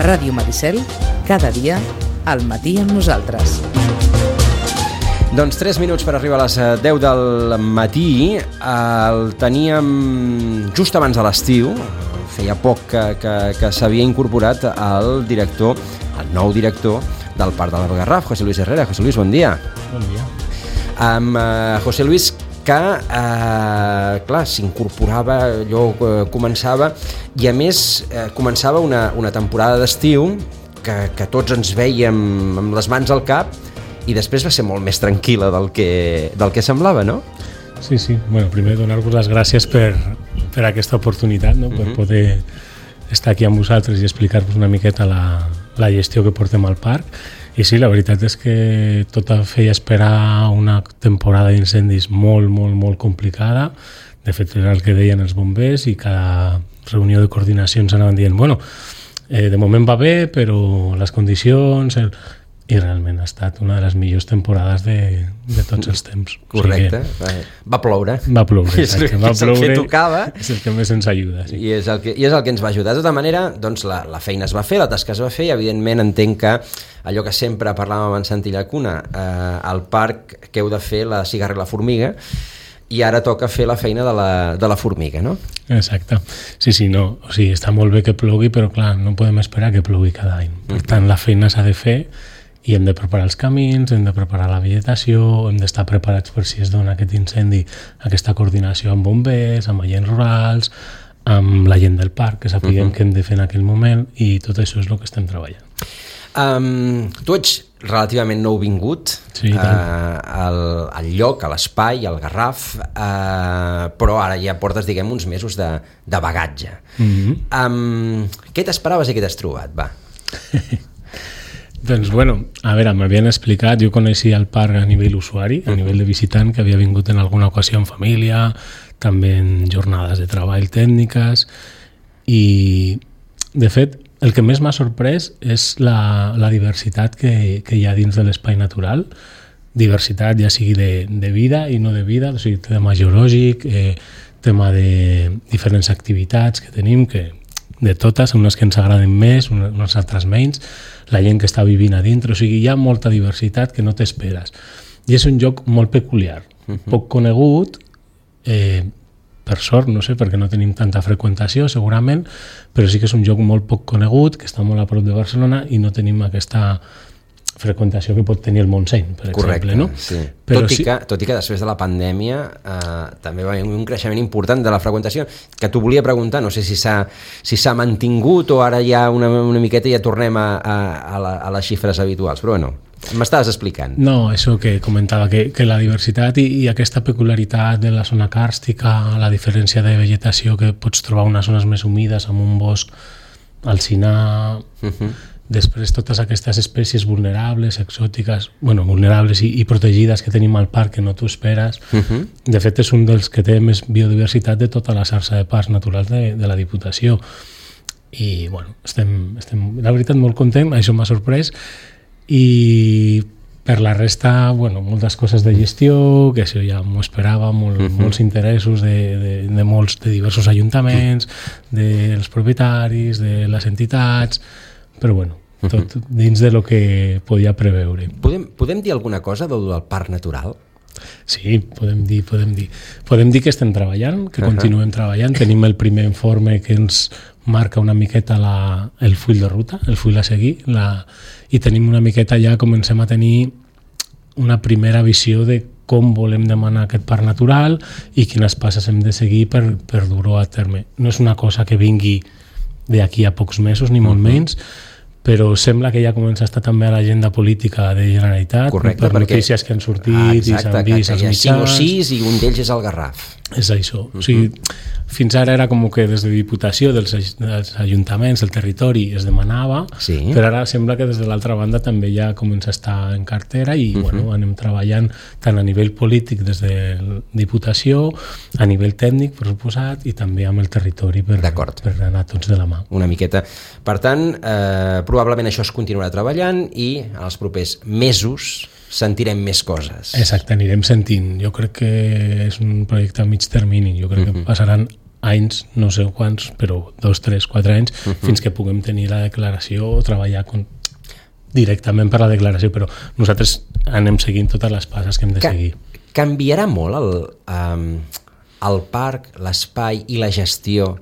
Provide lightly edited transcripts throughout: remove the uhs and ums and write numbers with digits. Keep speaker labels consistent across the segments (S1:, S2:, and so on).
S1: Ràdio Maricel, cada dia, al matí amb nosaltres.
S2: Doncs 3 minuts per arribar a les 10 del matí. El teníem just abans de l'estiu. Feia poc que s'havia incorporat el nou director del Parc de la Garraf, José Luis Herrera. José Luis, bon dia.
S3: Bon dia.
S2: Amb José Luis, que clar, s'incorporava, allò començava, i a més començava una temporada d'estiu que tots ens vèiem amb les mans al cap, i després va ser molt més tranquil·la del que semblava, no?
S3: Sí. Bueno, primer donar-vos les gràcies per aquesta oportunitat, no? Per poder estar aquí amb vosaltres i explicar-vos una miqueta la gestió que portem al parc. I sí, la veritat és que tot feia esperar una temporada d'incendis molt, molt, molt complicada. De fet, era el que deien els bombers, i cada reunió de coordinació ens anaven dient de moment va bé, però les condicions... I realment ha estat una de les millors temporades de tots els temps.
S2: Correcte. O sigui va ploure.
S3: Va ploure, exacte.
S2: És el que tocava.
S3: És el que més ens ajuda. Sí.
S2: I és el que ens va ajudar. De tota manera, doncs, la feina es va fer, la tasca es va fer, i evidentment entenc que allò que sempre parlàvem amb en Santi Llacuna, al parc que heu de fer la cigarra i la formiga, i ara toca fer la feina de la formiga, no?
S3: Exacte. Sí, no. O sigui, està molt bé que plogui, però clar, no podem esperar que plogui cada any. Per tant, la feina s'ha de fer, i hem de preparar els camins, hem de preparar la vegetació, hem d'estar preparats per si es dona aquest incendi, aquesta coordinació amb bombers, amb agents rurals, amb la gent del parc, que sapiguem què hem de fer en aquell moment, i tot això és el que estem treballant.
S2: Tu ets relativament nouvingut al lloc, a l'espai, al Garraf, però ara ja portes, diguem, uns mesos de bagatge. Què t'esperaves i què t'has trobat, va?
S3: Doncs bueno, a veure, m'havien explicat, jo coneixia el parc a nivell usuari, a nivell de visitant, que havia vingut en alguna ocasió en família, també en jornades de treball tècniques, i de fet el que més m'ha sorprès és la diversitat que hi ha dins de l'espai natural, diversitat ja sigui de vida i no de vida, o sigui, tema geològic, tema de diferents activitats que tenim, que de totes, unes que ens agraden més, unes altres menys, la gent que està vivint a dintre, o sigui, hi ha molta diversitat que no t'esperes. I és un lloc molt peculiar, poc conegut, per sort, no sé, perquè no tenim tanta freqüentació, segurament, però sí que és un lloc molt poc conegut, que està molt a prop de Barcelona, i no tenim aquesta freqüentació que pot tenir el Montseny, per exemple, no?
S2: Sí. Tot i que després de la pandèmia també va haver un creixement important de la freqüentació, que t'ho volia preguntar, no sé si s'ha mantingut o ara ja una miqueta ja tornem a les xifres habituals, però bueno, m'estaves explicant.
S3: No, això que comentava, que la diversitat i aquesta peculiaritat de la zona càrstica, la diferència de vegetació, que pots trobar unes zones més humides amb un bosc alzinar... Després totes aquestes espècies vulnerables, exòtiques, vulnerables i protegides que tenim al parc que no t'ho esperes. De fet, és un dels que té més biodiversitat de tota la xarxa de parcs naturals de la Diputació. I, estem la veritat, molt content, això m'ha sorprès. I per la resta, moltes coses de gestió, que això ja m'ho esperava, molts interessos de diversos ajuntaments, dels propietaris, de les entitats... però tot dins de lo que podia preveure.
S2: Podem dir alguna cosa del parc natural?
S3: Sí, podem dir. Podem dir que estem treballant, que continuem treballant. Tenim el primer informe que ens marca una miqueta el full de ruta, el full a seguir, i tenim una miqueta ja, comencem a tenir una primera visió de com volem demanar aquest parc natural i quines passes hem de seguir per dur-ho a terme. No és una cosa que vingui d'aquí a pocs mesos, ni molt menys, però sembla que ja comença a estar també a l'agenda política de Generalitat.
S2: Correcte,
S3: per notícies que han sortit i s'han vist als mitjans.
S2: 5 o 6 i un d'ells és el Garraf.
S3: És això. O sigui, fins ara era com que des de Diputació, dels ajuntaments, del territori, es demanava, però ara sembla que des de l'altra banda també ja comença a estar en cartera i anem treballant tant a nivell polític des de Diputació, a nivell tècnic, per suposat, i també amb el territori per anar tots de la mà.
S2: Una miqueta. Per tant, probablement això es continuarà treballant i en els propers mesos sentirem més coses.
S3: Exacte, anirem sentint. Jo crec que és un projecte a mig termini. Jo crec que passaran anys, no sé quants, però 2, 3, 4 anys, fins que puguem tenir la declaració o treballar directament per la declaració, però nosaltres anem seguint totes les passes que hem de seguir.
S2: Canviarà molt el parc, l'espai i la gestió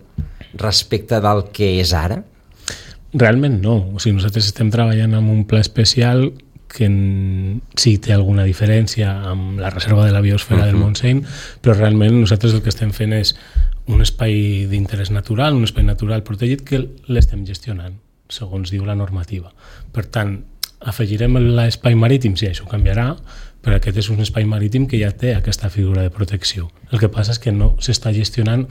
S2: respecte del que és ara?
S3: Realment no. O sigui, nosaltres estem treballant amb un pla especial que sí té alguna diferència amb la reserva de la biosfera del Montseny, però realment nosaltres el que estem fent és un espai d'interès natural, un espai natural protegit que l'estem gestionant, segons diu la normativa. Per tant, afegirem l'espai marítim, sí, això canviarà, però aquest és un espai marítim que ja té aquesta figura de protecció. El que passa és que no s'està gestionant,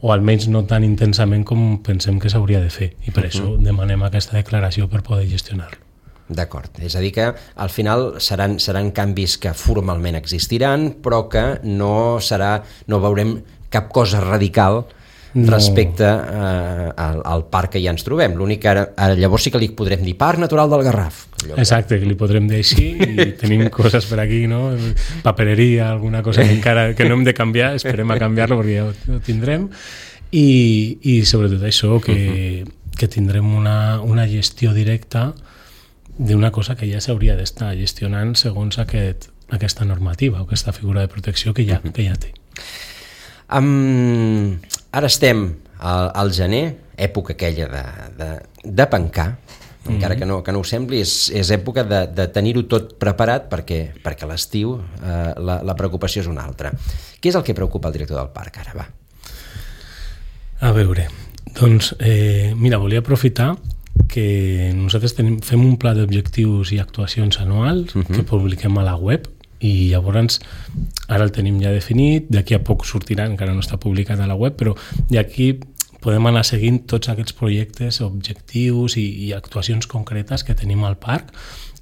S3: o almenys no tan intensament com pensem que s'hauria de fer, i per això demanem aquesta declaració per poder gestionar-lo.
S2: D'acord, és a dir que al final seran canvis que formalment existiran, però que no veurem cap cosa radical respecte al parc que ja ens trobem. L'únic que ara llavors sí que li podrem dir Parc Natural del Garraf.
S3: Exacte, que li podrem dir així, i tenim coses per aquí, no? Papereria, alguna cosa que encara que no hem de canviar, esperem a canviar-lo perquè ja ho tindrem, i sobretot això, que tindrem una gestió directa d'una cosa que ja s'hauria d'estar gestionant segons aquesta normativa o aquesta figura de protecció que ja té.
S2: Ara estem al gener, època aquella de pencar, encara que no ho sembli, és època de tenir-ho tot preparat perquè a l'estiu la preocupació és una altra. Què és el que preocupa el director del parc ara, va?
S3: A veure, doncs, mira, volia aprofitar que nosaltres fem un pla d'objectius i actuacions anuals que publiquem a la web, i llavors ara el tenim ja definit, d'aquí a poc sortirà, encara no està publicat a la web, però d'aquí podem anar seguint tots aquests projectes, objectius i actuacions concretes que tenim al parc,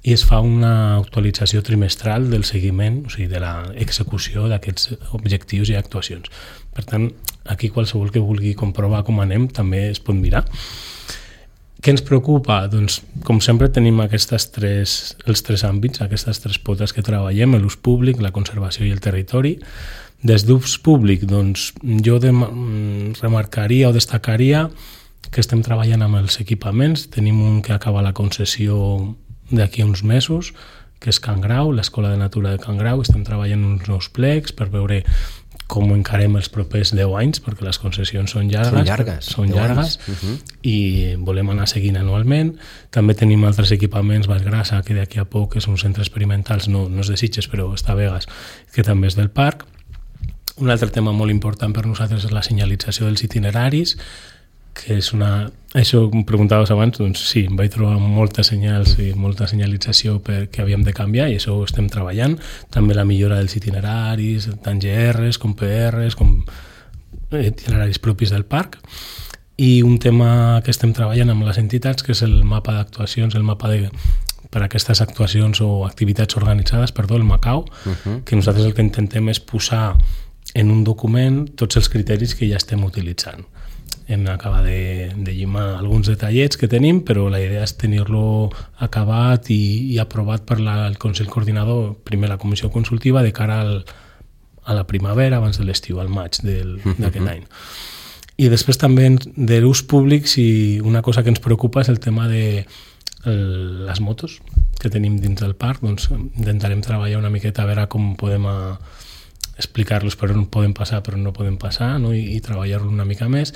S3: i es fa una actualització trimestral del seguiment, o sigui, de l'execució d'aquests objectius i actuacions. Per tant, aquí qualsevol que vulgui comprovar com anem també es pot mirar. Què ens preocupa? Doncs, com sempre, tenim els tres àmbits, aquestes tres potes que treballem, l'ús públic, la conservació i el territori. Des d'ús públic, doncs, jo remarcaria o destacaria que estem treballant amb els equipaments. Tenim un que acaba la concessió d'aquí a uns mesos, que és Can Grau, l'Escola de Natura de Can Grau. Estem treballant uns nous plecs per veure com encarem els propers 10 anys, perquè les concessions són llargues i volem anar seguint anualment. També tenim altres equipaments, Vallgrassa, que d'aquí a poc és un centre experimental, no és de Sitges, però està a Begues, que també és del parc. Un altre tema molt important per nosaltres és la senyalització dels itineraris, que és això que em preguntaves abans, doncs sí, em vaig trobar moltes senyals i molta senyalització que havíem de canviar, i això ho estem treballant. També la millora dels itineraris, tant GRs com PRs, com itineraris propis del parc. I un tema que estem treballant amb les entitats, que és el mapa d'actuacions, el mapa per a aquestes actuacions o activitats organitzades, el MACAO, que nosaltres el que intentem és posar en un document tots els criteris que ja estem utilitzant. Hem d'acabar de llimar alguns detallets que tenim, però la idea és tenir-lo acabat i aprovat per el Consell Coordinador, primer la Comissió Consultiva, de cara a la primavera, abans de l'estiu, al maig d'aquest any. I després també de l'ús públic, una cosa que ens preocupa és el tema de les motos que tenim dins del parc. Doncs intentarem treballar una miqueta a veure com podem explicar-los per on poden passar, per on no poden passar, no? I treballar-lo una mica més,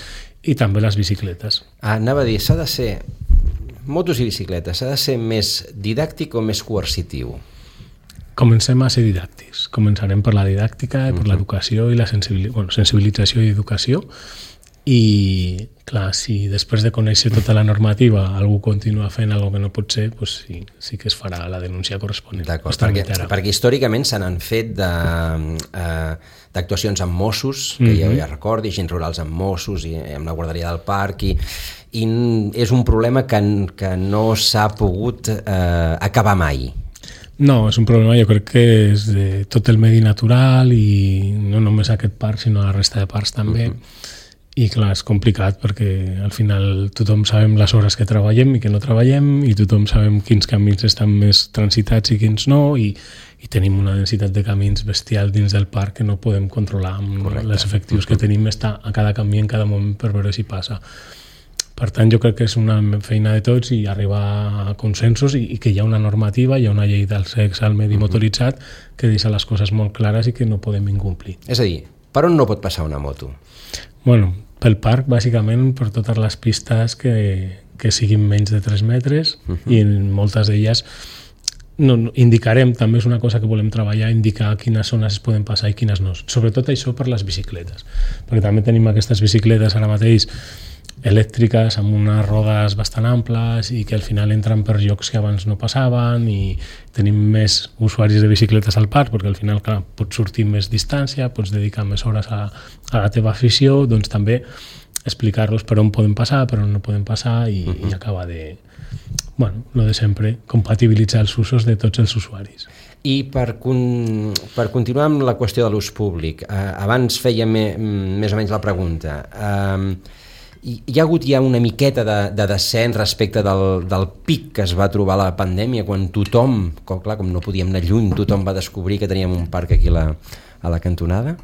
S3: i també les bicicletes.
S2: Anava a dir, s'ha de ser, motos i bicicletes, s'ha de ser més didàctic o més coercitiu?
S3: Comencem a ser didàctics. Començarem per la didàctica, per l'educació i la sensibilització i educació. I, clar, si després de conèixer tota la normativa algú continua fent alguna que no pot ser, doncs sí que es farà la denúncia corresponent.
S2: D'acord, perquè històricament se n'han fet d'actuacions amb Mossos, que ja recordi, agents rurals amb Mossos i amb la guarderia del parc, i és un problema que no s'ha pogut acabar mai.
S3: No, és un problema, jo crec que és de tot el medi natural, i no només aquest parc, sinó la resta de parcs també. I clar, és complicat perquè al final tothom sabem les hores que treballem i que no treballem, i tothom sabem quins camins estan més transitats i quins no, i tenim una densitat de camins bestial dins del parc que no podem controlar amb les efectius que tenim, està a cada camí en cada moment per veure si passa. Per tant, jo crec que és una feina de tots i arribar a consensos i que hi ha una normativa, hi ha una llei del sexe al medi motoritzat que deixa les coses molt clares i que no podem incomplir.
S2: És a dir, per on no pot passar una moto?
S3: Bueno, pel parc, bàsicament, per totes les pistes que siguin menys de 3 metres i en moltes d'elles indicarem, també és una cosa que volem treballar, indicar quines zones es poden passar i quines no. Sobretot això per les bicicletes, perquè també tenim aquestes bicicletes ara mateix elèctriques amb unes rodes bastant amples i que al final entren per llocs que abans no passaven, i tenim més usuaris de bicicletes al parc perquè al final, clar, pots sortir més distància, pots dedicar més hores a la teva afició, doncs també explicar-los per on poden passar, per on no poden passar i acabar de, lo de sempre, compatibilitzar els usos de tots els usuaris.
S2: I per continuar amb la qüestió de l'ús públic, abans feia més o menys la pregunta, hi ha hagut ja una miqueta de descens respecte del pic que es va trobar a la pandèmia, quan tothom, com no podíem anar lluny, tothom va descobrir que teníem un parc aquí a la cantonada?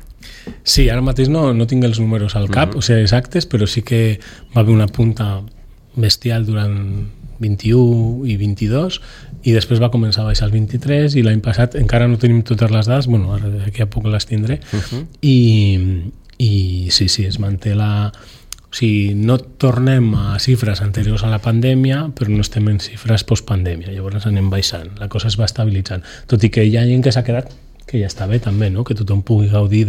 S3: Sí, ara mateix no tinc els números al cap, o sigui, exactes, però sí que va haver una punta bestial durant 21 i 22 i després va començar a baixar el 23 i l'any passat encara no tenim totes les dades, ara d'aquí a poc les tindré, i sí, es manté la... O sigui, no tornem a xifres anteriors a la pandèmia, però no estem en xifres postpandèmia, llavors anem baixant, la cosa es va estabilitzant, tot i que hi ha gent que s'ha quedat, que ja està bé també, no? Que tothom pugui gaudir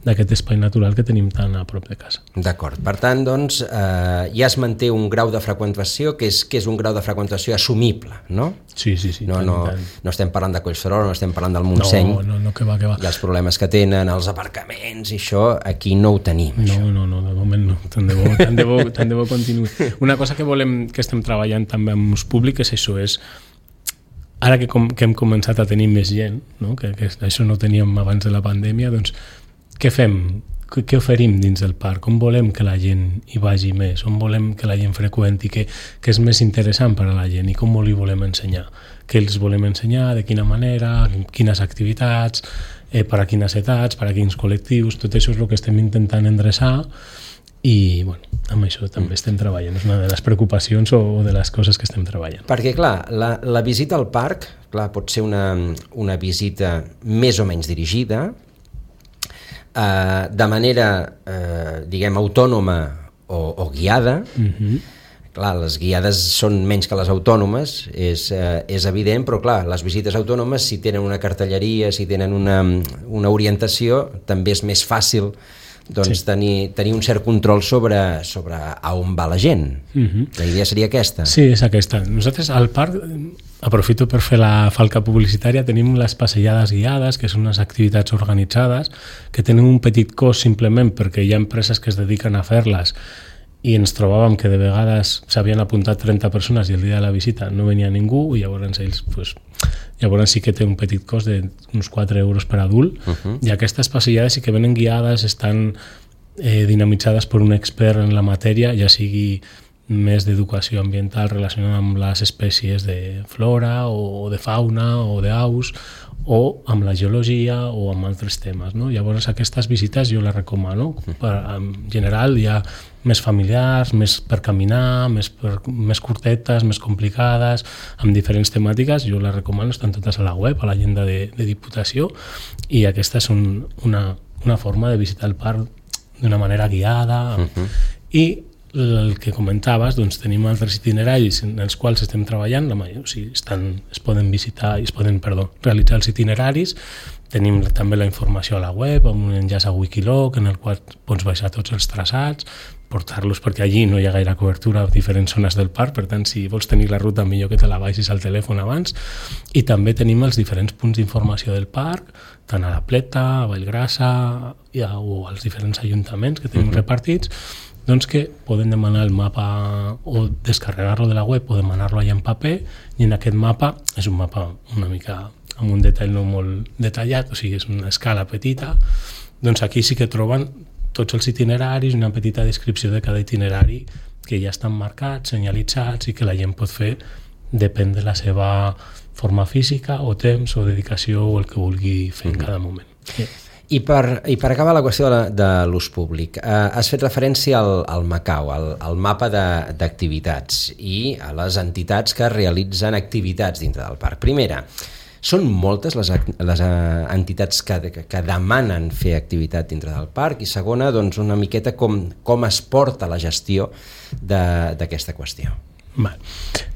S3: d'aquest espai natural que tenim tan a prop de casa.
S2: D'acord, per tant, doncs, ja es manté un grau de freqüentació que és un grau de freqüentació assumible, no?
S3: Sí.
S2: No estem parlant de Collserola, no estem parlant del Montseny.
S3: No, que va.
S2: I els problemes que tenen, els aparcaments i això, aquí no ho tenim.
S3: No, de moment no. Tant de bo continuï. Una cosa que estem treballant també amb ús públic és això, ara que hem començat a tenir més gent, no? Que això no teníem abans de la pandèmia, doncs què fem? Què oferim dins del parc? On volem que la gent hi vagi més? On volem que la gent freqüenti? Què és més interessant per a la gent i com li volem ensenyar? Què els volem ensenyar? De quina manera? Quines activitats? Per a quines edats? Per a quins col·lectius? Tot això és el que estem intentant endreçar i amb això també estem treballant, és una de les preocupacions o de les coses que estem treballant.
S2: Perquè clar, la visita al parc pot ser una visita més o menys dirigida, de manera diguem autònoma o guiada. Clar, les guiades són menys que les autònomes, és evident, però clar, les visites autònomes, si tenen una cartelleria, si tenen una orientació, també és més fàcil tenir un cert control sobre a on va la gent. La idea seria aquesta.
S3: Sí, és aquesta. Nosaltres al parc, aprofito per fer la falca publicitària, tenim les passejades guiades, que són unes activitats organitzades, que tenen un petit cost simplement perquè hi ha empreses que es dediquen a fer-les i ens trobàvem que de vegades s'havien apuntat 30 persones i el dia de la visita no venia ningú i llavors llavors sí que té un petit cost d'uns 4 euros per adult i aquestes passejades sí que venen guiades, estan dinamitzades per un expert en la matèria, ja sigui més d'educació ambiental relacionada amb les espècies de flora o de fauna o d'aus o amb la geologia o amb altres temes, no? Llavors aquestes visites jo les recomano. En general hi ha més familiars, més per caminar, més curtetes, més complicades, amb diferents temàtiques, jo les recomano, estan totes a la web, a l'agenda de Diputació, i aquesta és una forma de visitar el parc d'una manera guiada. I el que comentaves, doncs tenim altres itineraris en els quals estem treballant, es poden visitar i es poden realitzar els itineraris. Tenim també la informació a la web amb un enllaç a Wikiloc en el qual pots baixar tots els traçats, portar-los perquè allí no hi ha gaire cobertura a diferents zones del parc, per tant si vols tenir la ruta millor que te la baixis al telèfon abans. I també tenim els diferents punts d'informació del parc, tant a la Pleta, a Vallgrassa o als diferents ajuntaments que tenim repartits, doncs que poden demanar el mapa o descarregar-lo de la web o demanar-lo allà en paper, i en aquest mapa és un mapa una mica amb un detall no molt detallat, o sigui, és una escala petita, doncs aquí sí que troben tots els itineraris, una petita descripció de cada itinerari que ja estan marcats, senyalitzats i que la gent pot fer depèn de la seva forma física o temps o dedicació o el que vulgui fer en cada moment.
S2: I per acabar la qüestió de l'ús públic, has fet referència al MACAU, al mapa d'activitats i a les entitats que realitzen activitats dintre del parc. Primera, són moltes les entitats que demanen fer activitat dintre del parc? I segona, doncs, una miqueta com es porta la gestió d'aquesta qüestió.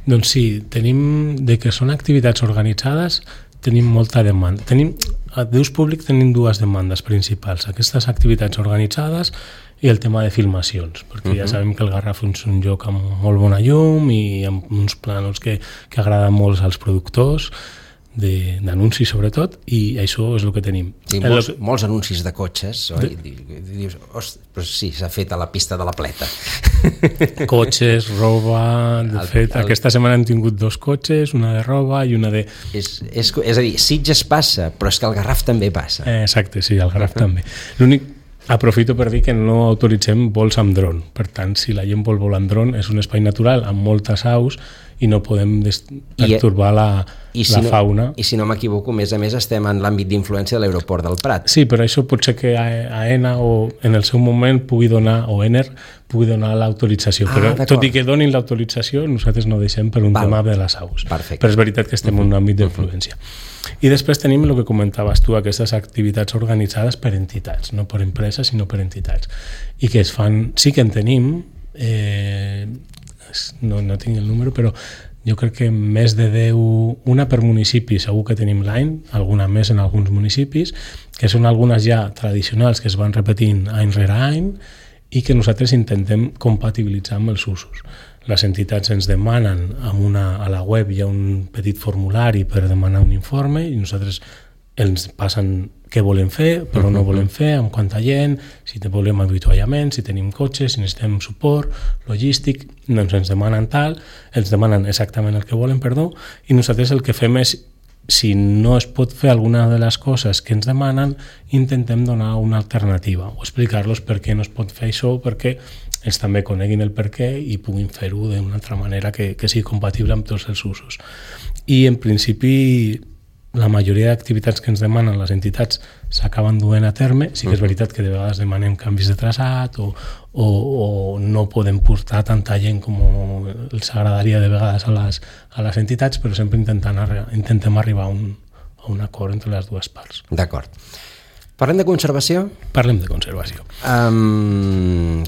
S3: Doncs sí, tenim de que són activitats organitzades, tenim molta demanda. D'ús públic tenim dues demandes principals, aquestes activitats organitzades i el tema de filmacions, perquè ja sabem que el Garraf és un lloc amb molt bona llum i amb uns plànols que agraden molt als productors, d'anuncis sobretot, i això és el que tenim.
S2: Sí, molts anuncis de cotxes, oi? Dius, però sí, s'ha fet a la pista de la Pleta.
S3: Cotxes, roba... De fet, aquesta setmana hem tingut 2 cotxes, una de roba i una de...
S2: És a dir, Sitges passa, però és que el Garraf també passa.
S3: Exacte, sí, el Garraf també. L'únic... Aprofito per dir que no autoritzem vols amb dron. Per tant, si la gent vol volar amb dron, és un espai natural amb moltes aus i no podem pertorbar la fauna.
S2: I si no m'equivoco, a més estem en l'àmbit d'influència de l'aeroport del Prat.
S3: Sí, però això pot ser que AENA o en el seu moment pugui donar, o ENER pugui donar l'autorització, però tot i que donin l'autorització, nosaltres no deixem per un tema de les aus.
S2: Perfecte.
S3: Però és veritat que estem en un àmbit d'influència. I després tenim el que comentaves tu, aquestes activitats organitzades per entitats, no per empreses, sinó per entitats. I que es fan, sí que en tenim, no tinc el número, però jo crec que més de 10, una per municipi segur que tenim l'any, alguna més en alguns municipis, que són algunes ja tradicionals que es van repetint any rere any i que nosaltres intentem compatibilitzar amb els usos. Les entitats ens demanen, a la web hi ha un petit formulari per demanar un informe i nosaltres ens passen què volem fer, però no volem fer, amb quanta gent, si volem avituallament, si tenim cotxes, si necessitem suport logístic, doncs ens demanen ens demanen exactament el que volen, i nosaltres el que fem és, si no es pot fer alguna de les coses que ens demanen, intentem donar una alternativa o explicar-los per què no es pot fer això, perquè ells també coneguin el per què i puguin fer-ho d'una altra manera que sigui compatible amb tots els usos. I en principi la majoria d'activitats que ens demanen les entitats s'acaben duent a terme. Sí que és veritat que de vegades demanem canvis de traçat o no podem portar tanta gent com els agradaria de vegades a les entitats, però sempre intentem arribar a un acord entre les dues parts.
S2: D'acord. Parlem de conservació?
S3: Parlem de conservació.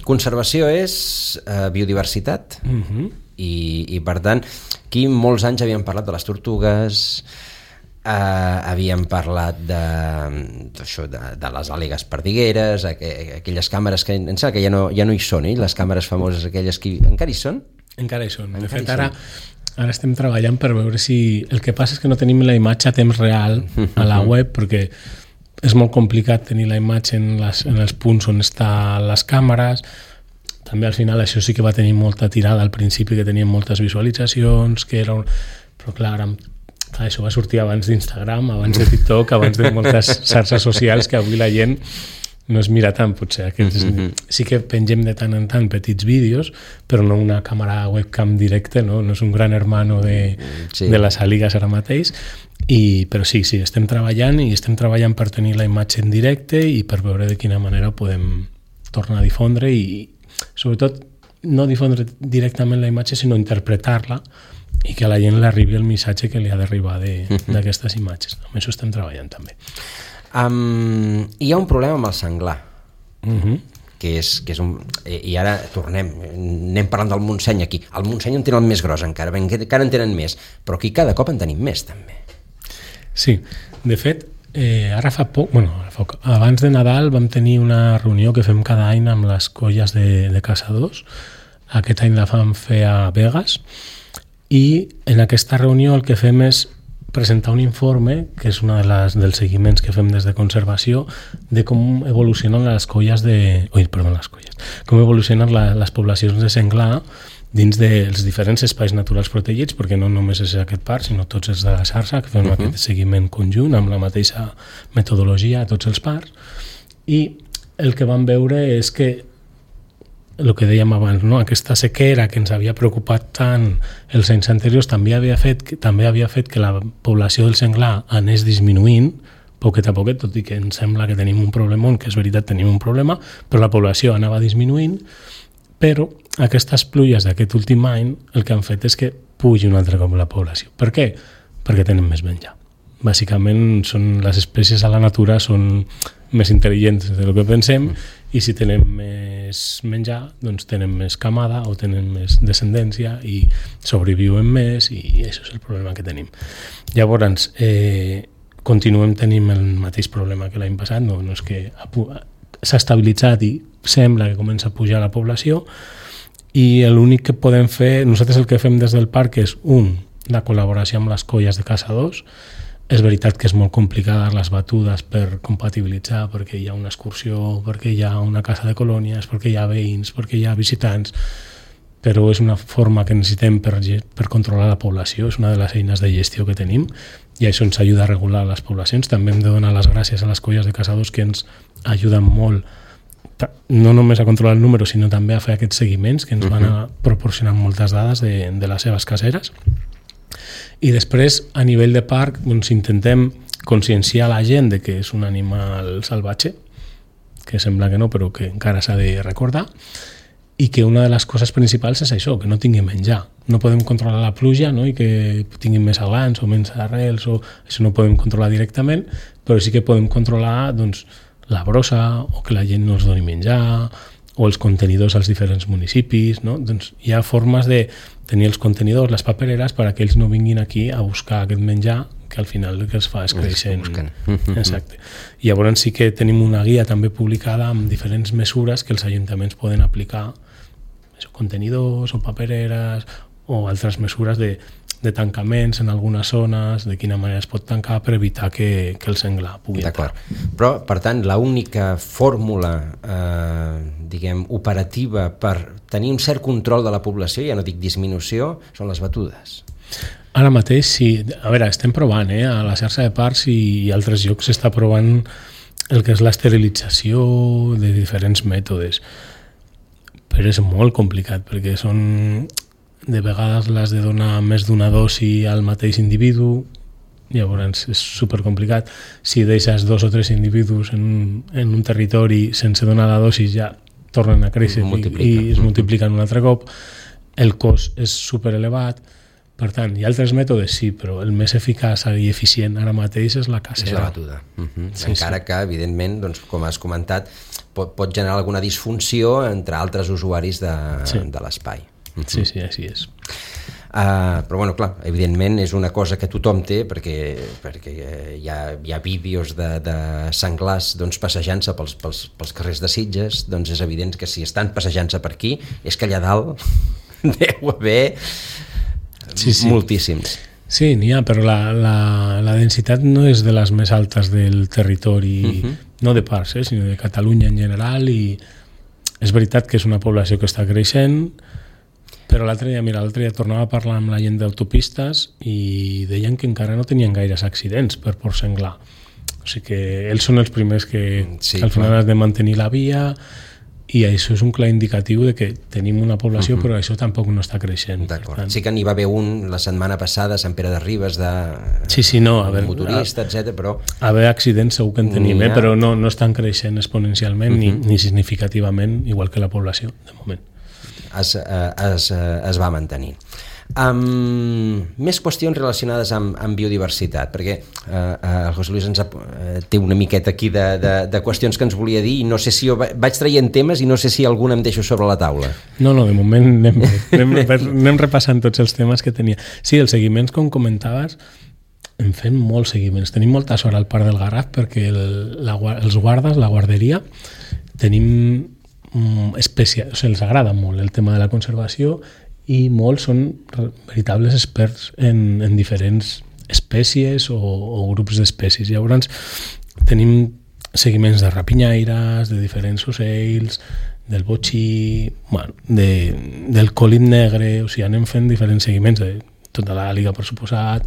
S2: Conservació és biodiversitat i per tant, aquí molts anys havíem parlat de les tortugues, havíem parlat de les àligues perdigueres, aquelles càmeres que em sembla que ja no hi són, les càmeres famoses aquelles que encara hi són?
S3: Encara hi són. De fet, ara estem treballant per veure si... El que passa és que no tenim la imatge a temps real a la web, perquè és molt complicat tenir la imatge en els punts on estan les càmeres. També al final això sí que va tenir molta tirada al principi, que tenien moltes visualitzacions, però clar, això va sortir abans d'Instagram, abans de TikTok, abans de moltes xarxes socials, que avui la gent no es mira tant, potser. Sí que pengem de tant en tant petits vídeos, però no una càmera webcam directa, no és un gran hermano de les àligues ara mateix, però sí, estem treballant per tenir la imatge en directe i per veure de quina manera podem tornar a difondre i sobretot no difondre directament la imatge, sinó interpretar-la i que a la gent li arribi el missatge que li ha d'arribar d'aquestes imatges. Amb això estem treballant també.
S2: Hi ha un problema amb el senglar, que és un... I ara anem parlant del Montseny aquí. Al Montseny en tenen el més gros encara en tenen més, però aquí cada cop en tenim més també.
S3: Sí, de fet, ara fa poc, abans de Nadal vam tenir una reunió que fem cada any amb les colles de caçadors. Aquest any la vam fer a Begues i en aquesta reunió el que fem és presentar un informe, que és un dels seguiments que fem des de conservació, de com evolucionen com evolucionen les poblacions de senglar dins dels diferents espais naturals protegits, perquè no només és aquest parc, sinó tots els de la xarxa, que fem aquest seguiment conjunt amb la mateixa metodologia a tots els parcs. I el que vam veure és que el que dèiem abans, no? Aquesta sequera que ens havia preocupat tant els anys anteriors també havia fet que la població del senglar anés disminuint poquet a poquet, tot i que ens sembla que tenim un problemon, que és veritat, tenim un problema, però la població anava disminuint, però aquestes pluies d'aquest últim any el que han fet és que pugi un altre cop la població. Per què? Perquè tenen més menjar. Bàsicament, les espècies a la natura són més intel·ligents del que pensem i si tenen més menjar, doncs tenen més camada o tenen més descendència i sobreviuen més i això és el problema que tenim. Llavors, continuem tenint el mateix problema que l'any passat, no és que s'ha estabilitzat i sembla que comença a pujar la població i l'únic que podem fer, nosaltres el que fem des del parc és la col·laboració amb les colles de caçadors. És veritat que és molt complicada les batudes per compatibilitzar, perquè hi ha una excursió, perquè hi ha una casa de colònies, perquè hi ha veïns, perquè hi ha visitants, però és una forma que necessitem per controlar la població, és una de les eines de gestió que tenim i això ens ajuda a regular les poblacions. També hem de donar les gràcies a les colles de caçadors que ens ajuden molt, no només a controlar el número, sinó també a fer aquests seguiments que ens van proporcionant moltes dades de les seves caseres. I després, a nivell de parc, doncs, intentem conscienciar la gent de que és un animal salvatge, que sembla que no, però que encara s'ha de recordar, i que una de les coses principals és això, que no tingui menjar. No podem controlar la pluja, no? I que tinguin més aglans o menys arrels, això no ho podem controlar directament, però sí que podem controlar doncs, la brossa o que la gent no els doni menjar o els contenidors als diferents municipis, no? Doncs hi ha formes de tenir els contenidors, les papereres, perquè ells no vinguin aquí a buscar aquest menjar que al final el que es fa és créixer. Exacte. I llavors sí que tenim una guia també publicada amb diferents mesures que els ajuntaments poden aplicar, contenidors o papereres o altres mesures de tancaments en algunes zones, de quina manera es pot tancar per evitar que el senglar pugui entrar.
S2: Però, per tant, l'única fórmula operativa per tenir un cert control de la població, ja no dic disminució, són les batudes.
S3: Ara mateix sí. A veure, estem provant, a la xarxa de parcs i altres llocs s'està provant el que és l'esterilització de diferents mètodes. Però és molt complicat, perquè són de vegades l'has de donar més d'una dosi al mateix individu, llavors és supercomplicat. Si deixes 2 o 3 individus en un territori sense donar la dosi ja tornen a créixer i es multipliquen un altre cop. El cost és superelevat. Per tant, hi ha altres mètodes, sí, però el més eficaç i eficient ara mateix és la cacera.
S2: És la batuda. Encara que, evidentment, doncs, com has comentat, pot generar alguna disfunció entre altres usuaris de l'espai.
S3: Sí, així és.
S2: Però, bueno, clar, evidentment és una cosa que tothom té, perquè hi ha vídeos de senglars doncs, passejant-se pels carrers de Sitges, doncs és evident que si estan passejant-se per aquí és que allà dalt deu haver moltíssims.
S3: Sí, n'hi ha, però la densitat no és de les més altes del territori, no de parcs, sinó de Catalunya en general, i és veritat que és una població que està creixent, però l'altre dia tornava a parlar amb la gent d'autopistes i deien que encara no tenien gaires accidents per por senglar. O sigui que ells són els primers que al final has de mantenir la via, i això és un clar indicatiu de que tenim una població però això tampoc no està creixent.
S2: D'acord. Sí que n'hi va haver un la setmana passada a Sant Pere de Ribes motorista, etc. però...
S3: Haver accidents segur que en tenim, però no estan creixent exponencialment ni significativament, igual que la població, de moment.
S2: Es va mantenir. Més qüestions relacionades amb biodiversitat, perquè el José Luis té una miqueta aquí de qüestions que ens volia dir i no sé si vaig traient temes i no sé si alguna em deixo sobre la taula.
S3: No, de moment anem repassant tots els temes que tenia. Sí, els seguiments, com comentaves, en fem molts seguiments. Tenim molta sort al Parc del Garraf perquè els guardes, la guarderia, tenim els agrada molt el tema de la conservació i molts són veritables experts en diferents espècies o grups d'espècies. Llavors tenim seguiments de rapinyaires, de diferents ocells, del botxí, del còlit negre, o sigui, anem fent diferents seguiments de tota la liga, per suposat,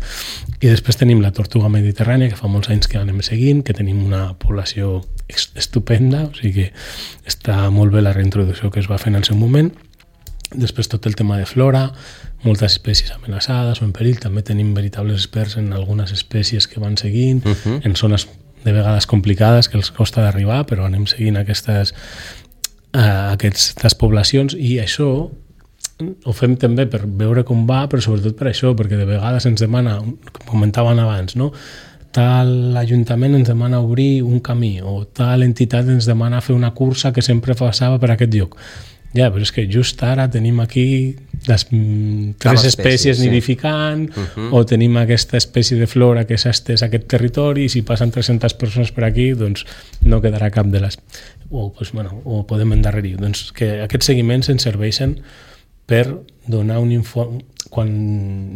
S3: i després tenim la tortuga mediterrània, que fa molts anys que anem seguint, que tenim una població estupenda, o sigui que està molt bé la reintroducció que es va fer en el seu moment. Després tot el tema de flora, moltes espècies amenaçades o en perill, també tenim veritables experts en algunes espècies que van seguint, en zones de vegades complicades que els costa d'arribar, però anem seguint aquestes poblacions, i això ho fem també per veure com va, però sobretot per això, perquè de vegades ens demana, com comentaven abans, no? Tal ajuntament ens demana obrir un camí, o tal entitat ens demana fer una cursa que sempre passava per aquest lloc. Ja, però és que just ara tenim aquí les 3 espècies nidificant, o tenim aquesta espècie de flora que s'ha estès a aquest territori, i si passen 300 persones per aquí, doncs no quedarà cap de les... O podem endarrerir. Doncs que aquests seguiments ens serveixen per donar un informe quan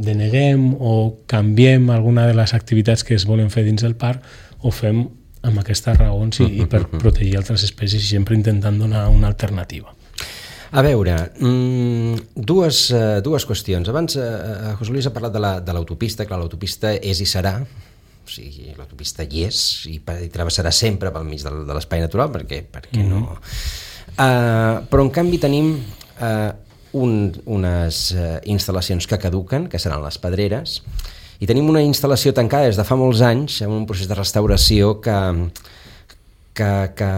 S3: deneguem o canviem alguna de les activitats que es volen fer dins del parc, ho fem amb aquestes raons i per protegir altres espècies, i sempre intentant donar una alternativa.
S2: A veure, dues qüestions. Abans José Luis ha parlat de l'autopista. Clar, l'autopista és i serà, o sigui, l'autopista hi és i travessarà sempre pel mig de l'espai natural, perquè no... Però en canvi tenim unes instal·lacions que caduquen, que seran les pedreres, i tenim una instal·lació tancada des de fa molts anys, en un procés de restauració que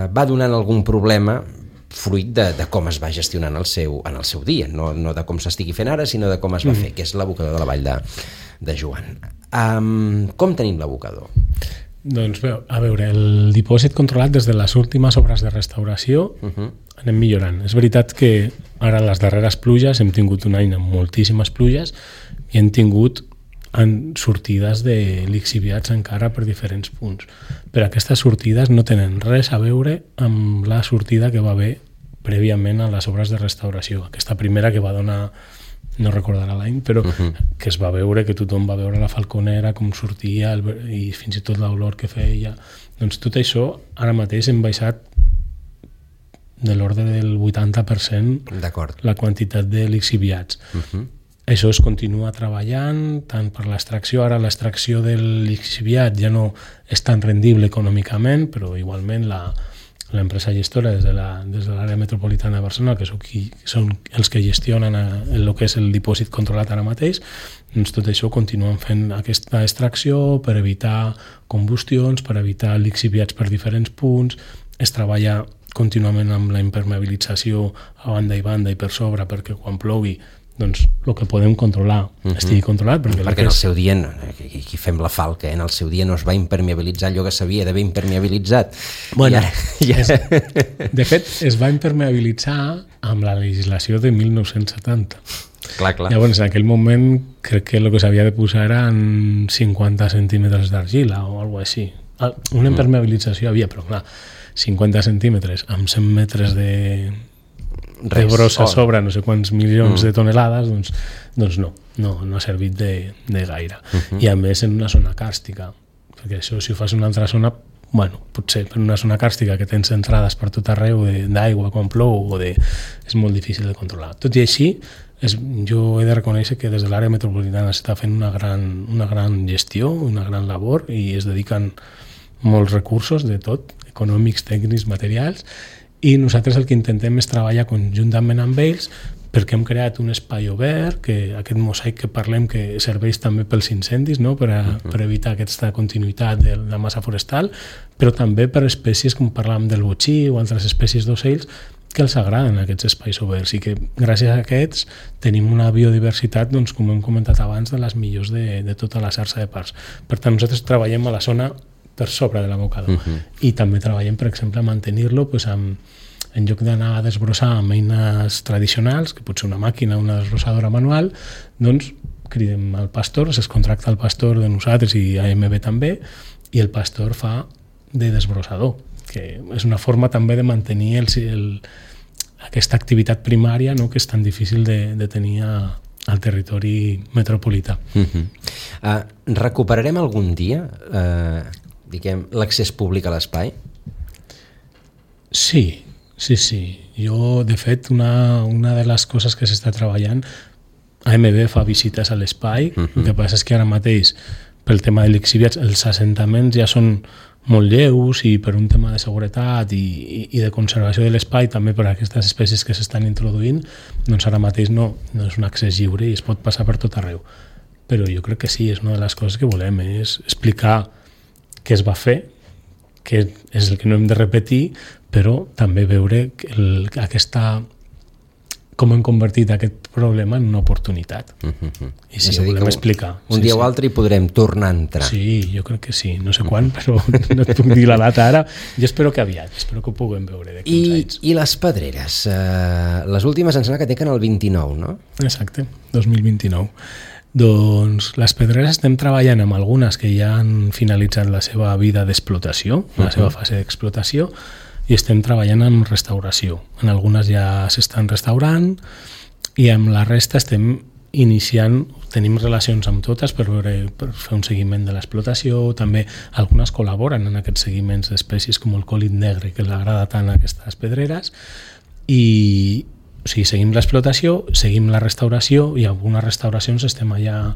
S2: va donant algun problema fruit de com es va gestionant en el seu dia, no de com s'estigui fent ara, sinó de com es va fer, que és l'abocador de la Vall de Joan. Com tenim l'abocador?
S3: Doncs bé, a veure, el dipòsit controlat des de les últimes obres de restauració anem millorant. És veritat que ara les darreres pluges hem tingut un any amb moltíssimes pluges i hem tingut sortides de lixiviats encara per diferents punts. Però aquestes sortides no tenen res a veure amb la sortida que va haver prèviament a les obres de restauració. Aquesta primera que va donar, no recordarà l'any, però que es va veure, que tothom va veure la falconera, com sortia, i fins i tot l'olor que feia. Doncs tot això, ara mateix hem baixat de l'ordre del 80% la quantitat de lixiviats. Això es continua treballant tant per l'extracció. Ara l'extracció del lixiviat ja no és tan rendible econòmicament, però igualment l'empresa gestora des de l'àrea metropolitana de Barcelona, que són els que gestionen el que és el dipòsit controlat ara mateix, doncs tot això continuen fent aquesta extracció per evitar combustions, per evitar lixiviats per diferents punts. Es treballa contínuament amb la impermeabilització a banda i banda i per sobre, perquè quan plogui doncs el que podem controlar estigui controlat,
S2: perquè en el seu dia aquí fem la falca, en el seu dia no es va impermeabilitzar allò que s'havia d'haver impermeabilitzat.
S3: Bueno, de fet es va impermeabilitzar amb la legislació de 1970.
S2: Clar.
S3: Llavors en aquell moment crec que el que s'havia de posar eren 50 centímetres d'argila o alguna cosa així. Una impermeabilització havia, però clar, 50 centímetres amb 100 metres de brossa sobre no sé quants milions de tonelades, doncs no ha servit de gaire. I a més en una zona càrstica, perquè això si ho fas en una altra zona, potser per una zona càrstica que tens entrades per tot arreu d'aigua quan plou és molt difícil de controlar. Tot i així, jo he de reconèixer que des de l'àrea metropolitana s'està fent una gran gestió, una gran labor, i es dediquen molts recursos de tot, econòmics, tècnics, materials, i nosaltres el que intentem és treballar conjuntament amb ells, perquè hem creat un espai obert, que aquest mosaic que parlem que serveix també pels incendis, no? per evitar aquesta continuïtat de la massa forestal, però també per espècies com parlàvem del botxí o altres espècies d'ocells que els agraden aquests espais oberts, i que gràcies a aquests tenim una biodiversitat, doncs, com hem comentat abans, de les millors de tota la xarxa de parcs. Per tant, nosaltres treballem a la zona per sobre de l'abocador, i també treballem, per exemple, a mantenir-lo en lloc d'anar a desbrossar amb eines tradicionals, que pot ser una màquina o una desbrossadora manual, doncs cridem al pastor, es contracta el pastor de nosaltres i AMB també, i el pastor fa de desbrossador, que és una forma també de mantenir aquesta activitat primària, no?, que és tan difícil de tenir al territori metropolità.
S2: Recuperarem algun dia l'accés públic a l'espai?
S3: Sí. Jo, de fet, una de les coses que s'està treballant, AMB fa visites a l'espai, el que passa és que ara mateix, pel tema de lixiviats, els assentaments ja són molt lleus i per un tema de seguretat i de conservació de l'espai també per a aquestes espècies que s'estan introduint, doncs ara mateix no és un accés lliure i es pot passar per tot arreu. Però jo crec que sí, és una de les coses que volem, és explicar què es va fer, que és el que no hem de repetir, però també veure com hem convertit aquest problema en una oportunitat. I sí, ho volem explicar.
S2: Un dia o altre hi podrem tornar a entrar.
S3: Sí, jo crec que sí. No sé quan, però no et puc dir la data ara. Jo espero que aviat, espero que ho puguem veure d'aquí uns anys.
S2: I les pedreres? Les últimes em sembla que tenen el 29, no?
S3: Exacte, 2029. Doncs les pedreres estem treballant amb algunes que ja han finalitzat la seva vida d'explotació, la seva fase d'explotació, i estem treballant en restauració. En algunes ja s'estan restaurant i amb la resta estem iniciant, tenim relacions amb totes per fer un seguiment de l'explotació, també algunes col·laboren en aquests seguiments d'espècies com el còlid negre, que li agrada tant a aquestes pedreres, i o sigui, seguim l'explotació, seguim la restauració i en algunes restauracions estem allà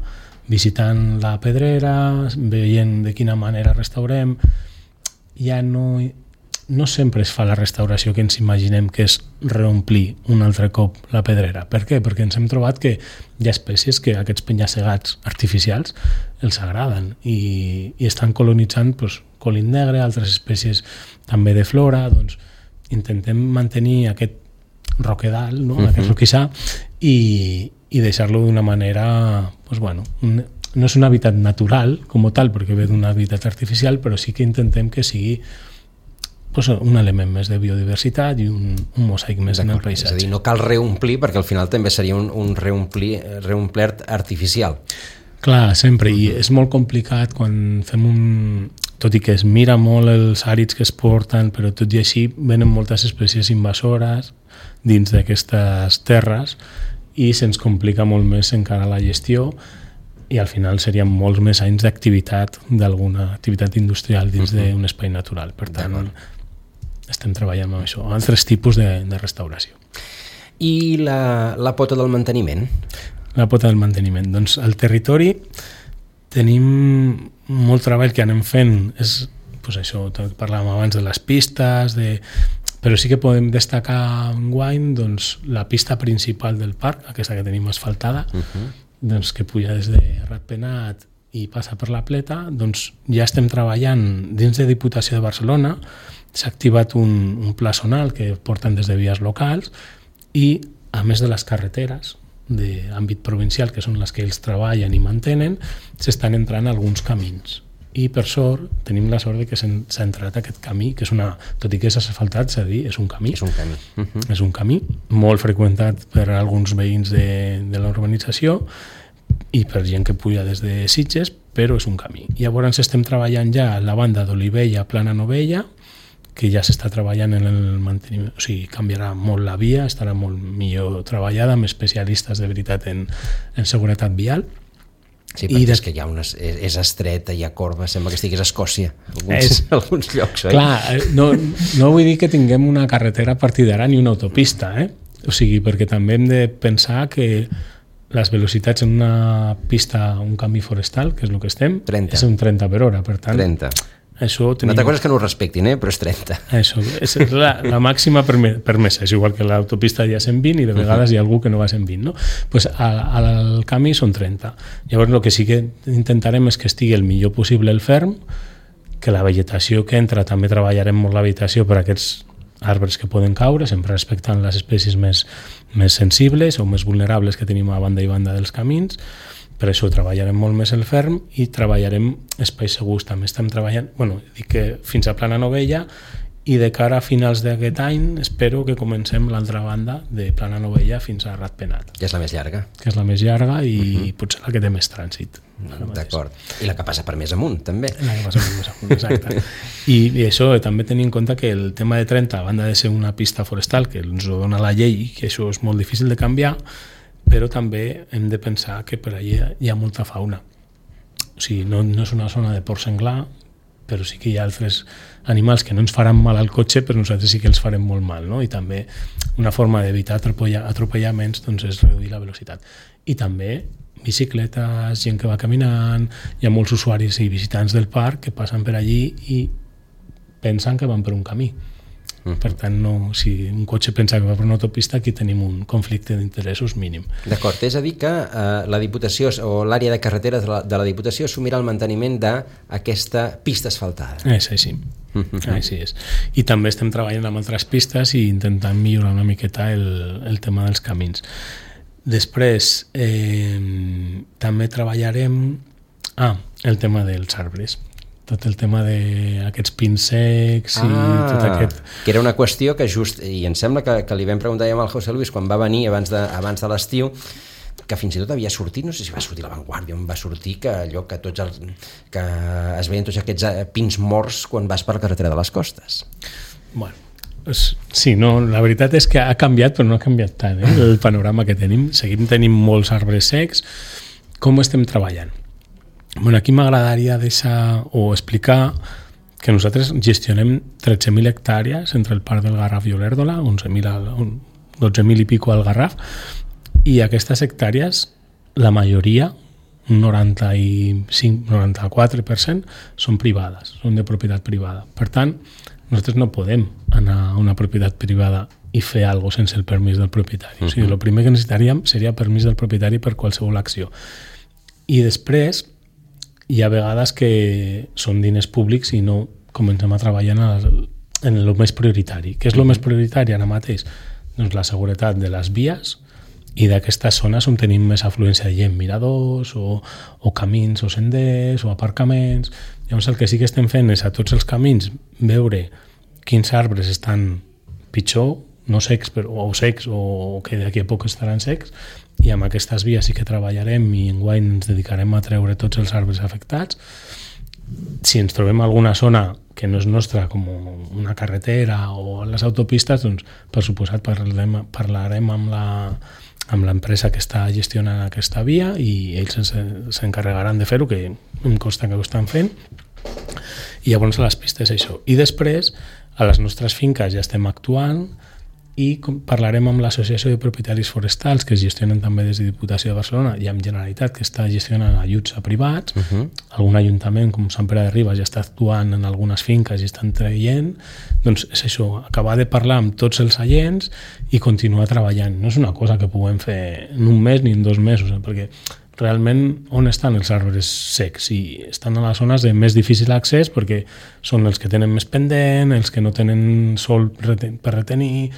S3: visitant la pedrera, veient de quina manera restaurem. Ja no sempre es fa la restauració que ens imaginem, que és reomplir un altre cop la pedrera. Per què? Perquè ens hem trobat que hi ha espècies que aquests penya-segats artificials els agraden i estan colonitzant còlid negre, altres espècies també de flora. Doncs intentem mantenir aquest roquedal, no? Aquest roquissar i deixar-lo d'una manera, no és un hàbitat natural com tal, perquè ve d'un hàbitat artificial, però sí que intentem que sigui un element més de biodiversitat i un mosaic més en el paisatge.
S2: És a dir, no cal reomplir, perquè al final també seria un reomplert artificial.
S3: Clar, sempre, i és molt complicat quan fem tot i que es mira molt els àrids que es porten, però tot i així venen moltes espècies invasores dins d'aquestes terres i se'ns complica molt més encara la gestió i al final serien molts més anys d'activitat, d'alguna activitat industrial dins d'un espai natural. Per tant, estem treballant amb això, altres tipus de restauració.
S2: I la pota del manteniment?
S3: La pota del manteniment. Doncs al territori tenim molt treball que anem fent, és això, parlàvem abans de les pistes, però sí que podem destacar enguany la pista principal del parc, aquesta que tenim asfaltada, doncs, que puja des de Ratpenat i passa per la Pleta, doncs ja estem treballant dins de Diputació de Barcelona. S'ha activat un pla zonal que porten des de vies locals i, a més de les carreteres d'àmbit provincial, que són les que ells treballen i mantenen, s'estan entrant alguns camins. I per sort, tenim la sort de que s'ha entrat aquest camí, que és tot i que és asfaltat, s'ha de dir, és un camí.
S2: És un camí.
S3: És un camí molt freqüentat per alguns veïns de la urbanització i per gent que puja des de Sitges, però és un camí. Llavors estem treballant ja a la banda d'Olivella, Plana Novella, que ja s'està treballant en el manteniment, o sigui, canviarà molt la via, estarà molt millor treballada, amb especialistes de veritat en seguretat vial.
S2: Sí, perquè és que és estreta, hi ha corba, sembla que estigués a Escòcia, alguns llocs, oi?
S3: Clar, no vull dir que tinguem una carretera a partir d'ara ni una autopista, o sigui, perquè també hem de pensar que les velocitats en una pista, un camí forestal, que és el que estem,
S2: 30.
S3: És un 30 per hora, per tant...
S2: 30.
S3: Una
S2: altra cosa és que no ho respectin, però és 30.
S3: Això, és la màxima permesa, és igual que l'autopista hi ha 120 i de vegades hi ha algú que no va a 120, no? Pues al camí són 30. Llavors el que sí que intentarem és que estigui el millor possible el ferm, que la vegetació que entra també treballarem molt la vegetació per a aquests arbres que poden caure, sempre respectant les espècies més sensibles o més vulnerables que tenim a banda i banda dels camins. Per això treballarem molt més el ferm i treballarem espais segurs. També estem treballant, dic que fins a Plana Novella, i de cara a finals d'aquest any espero que comencem l'altra banda de Plana Novella fins a Ratpenat.
S2: Que és la més llarga.
S3: Que és la més llarga i potser la que té més trànsit.
S2: D'acord. I la que passa per més amunt, també.
S3: La que passa per més amunt, exacte. I això també tenir en compte que el tema de 30, a banda de ser una pista forestal, que ens ho dona la llei, que això és molt difícil de canviar, però també hem de pensar que per allà hi ha molta fauna. O sigui, no és una zona de porc senglar, però sí que hi ha altres animals que no ens faran mal al cotxe, però nosaltres sí que els farem molt mal, no? I també una forma d'evitar atropellaments és reduir la velocitat. I també bicicletes, gent que va caminant, hi ha molts usuaris i visitants del parc que passen per allí i pensen que van per un camí. Per tant, no, si un cotxe pensa que va per una autopista, aquí tenim un conflicte d'interessos mínim.
S2: D'acord, és a dir que la Diputació o l'àrea de carreteres de la Diputació assumirà el manteniment d'aquesta pista asfaltada.
S3: És així. Així és. I també estem treballant amb altres pistes i intentant millorar una miqueta el tema dels camins. Després, també treballarem el tema dels arbres. Tot el tema d'aquests pins secs i tot aquest...
S2: Que era una qüestió que i em sembla que li vam preguntar ja al José Luis quan va venir abans de l'estiu, que fins i tot havia sortit, no sé si va sortir a La Vanguardia, on va sortir que allò que es veien tots aquests pins morts quan vas per la carretera de les Costes.
S3: Bueno, sí, no, la veritat és que ha canviat, però no ha canviat tant, el panorama que tenim. Seguim tenint molts arbres secs. Com estem treballant? Bueno, aquí m'agradaria deixar o explicar que nosaltres gestionem 13.000 hectàrees entre el Parc del Garraf i Olèrdola, 12.000 i pico al Garraf, i aquestes hectàrees, la majoria, un 94%, són privades, són de propietat privada. Per tant, nosaltres no podem anar a una propietat privada i fer alguna cosa sense el permís del propietari. O sigui, el primer que necessitaríem seria permís del propietari per qualsevol acció. I després, hi ha vegades que són diners públics i no comencem a treballar en el més prioritari. Què és el més prioritari ara mateix? Doncs la seguretat de les vies i d'aquestes zones on tenim més afluència de gent, miradors o camins o senders o aparcaments. Llavors el que sí que estem fent és a tots els camins veure quins arbres estan pitjor, no secs o secs o que d'aquí a poc estaran secs, i amb aquestes vies sí que treballarem i enguany ens dedicarem a treure tots els arbres afectats. Si ens trobem alguna zona que no és nostra, com una carretera o les autopistes, doncs per suposat parlarem amb l'empresa que està gestionant aquesta via i ells s'encarregaran de fer-ho, que em consta que ho estan fent. I llavors a les pistes això. I després a les nostres finques ja estem actuant i parlarem amb l'Associació de Propietaris Forestals, que es gestionen també des de Diputació de Barcelona, i amb Generalitat, que està gestionant ajuts a privats. Algun ajuntament, com Sant Pere de Ribes, ja està actuant en algunes finques i estan traient. Doncs és això, acabar de parlar amb tots els agents i continuar treballant. No és una cosa que puguem fer en un mes ni en 2 mesos, perquè realment on estan els arbres secs? I estan a les zones de més difícil accés perquè són els que tenen més pendent, els que no tenen sol per retenir,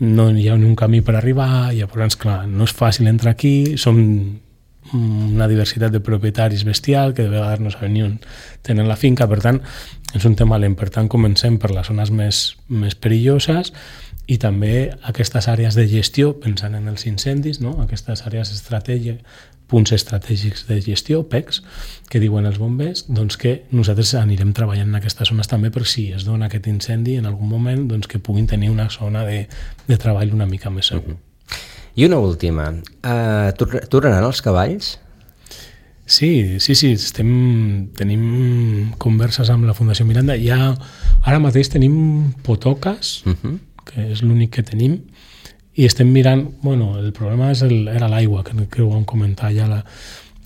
S3: no hi ha ni un camí per arribar, i llavors, clar, no és fàcil entrar aquí, som una diversitat de propietaris bestial que de vegades no saben ni on tenen la finca, per tant, és un tema lent. Per tant, comencem per les zones més perilloses i també aquestes àrees de gestió, pensant en els incendis, no? Aquestes àrees punts estratègics de gestió, PECs, que diuen els bombers, doncs que nosaltres anirem treballant en aquestes zones també per si es dona aquest incendi en algun moment, doncs que puguin tenir una zona de treball una mica més segur.
S2: I una última, tornaran els cavalls?
S3: Sí, tenim converses amb la Fundació Miranda. Ara mateix tenim potoques, que és l'únic que tenim, i estem mirant, el problema era l'aigua, que ho vam comentar ja.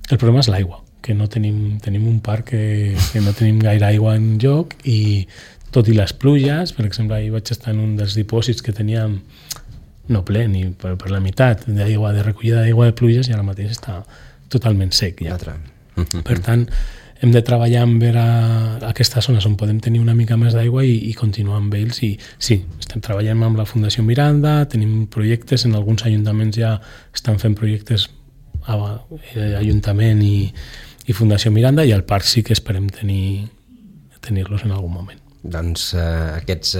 S3: El problema és l'aigua, que no tenim un parc que no tenim gaire aigua en joc, i tot i les pluges, per exemple, ahir vaig estar en un dels dipòsits que teníem no ple ni per la meitat d'aigua, de recollida d'aigua de pluges, i ara mateix està totalment sec ja. Per tant, hem de treballar en veure aquestes zones on podem tenir una mica més d'aigua i continuar amb ells. I sí, estem treballant amb la Fundació Miranda, tenim projectes, en alguns ajuntaments ja estan fent projectes Ajuntament i Fundació Miranda, i al parc sí que esperem tenir-los en algun moment.
S2: Doncs aquests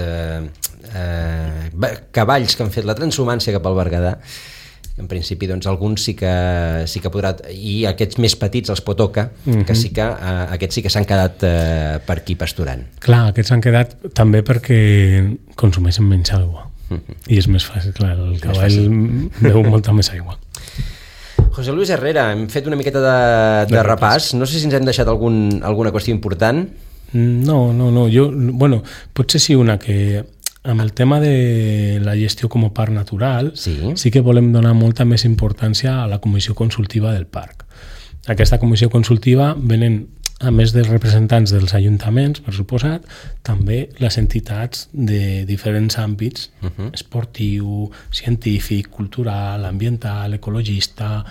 S2: cavalls que han fet la transhumància cap al Berguedà, en principi doncs alguns sí que podrà, i aquests més petits, els potoca, que sí que aquests sí que s'han quedat per aquí pasturant.
S3: Clar, aquests s'han quedat també perquè consumeixen menys aigua, i és més fàcil, clar, el cavall beu molta més aigua.
S2: José Luis Herrera, hem fet una miqueta de repàs, no sé si ens hem deixat alguna qüestió important.
S3: No, potser sí una que amb el tema de la gestió com a parc natural sí que volem donar molta més importància a la comissió consultiva del parc. Aquesta comissió consultiva venen a més dels representants dels ajuntaments, per suposat, també les entitats de diferents àmbits, esportiu, científic, cultural, ambiental, ecologista,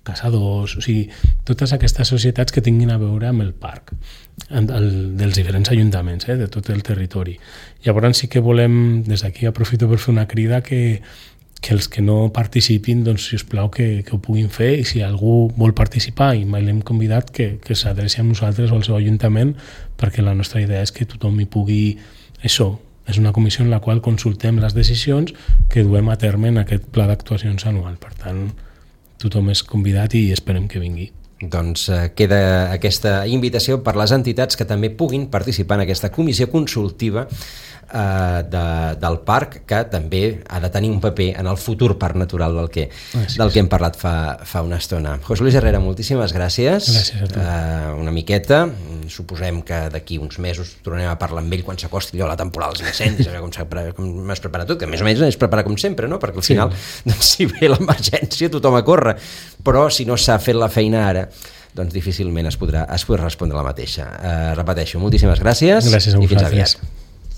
S3: caçadors, o sigui, totes aquestes societats que tinguin a veure amb el parc, dels diferents ajuntaments, de tot el territori. Llavors sí que volem, des d'aquí aprofito per fer una crida que els que no participin, doncs, si us plau, que ho puguin fer, i si algú vol participar i mai l'hem convidat, que s'adreci a nosaltres o al seu ajuntament, perquè la nostra idea és que tothom hi pugui... Això és una comissió en la qual consultem les decisions que duem a terme en aquest pla d'actuacions anual. Per tant, tothom és convidat i esperem que vingui.
S2: Doncs queda aquesta invitació per les entitats que també puguin participar en aquesta comissió consultiva del parc, que també ha de tenir un paper en el futur parc natural del que hem parlat fa una estona. José Luis Herrera, moltíssimes gràcies.
S3: Gràcies a tu.
S2: Una miqueta, suposem que d'aquí uns mesos tornarem a parlar amb ell quan s'acosti allò la temporada dels incendis, com es prepara tot, que més o menys es prepara com sempre, no? Perquè al final, doncs, si ve l'emergència tothom a córrer, però si no s'ha fet la feina ara, doncs difícilment es podrà respondre la mateixa. Repeteixo, moltíssimes gràcies.
S3: Gràcies a vosaltres.
S2: I fins aviat.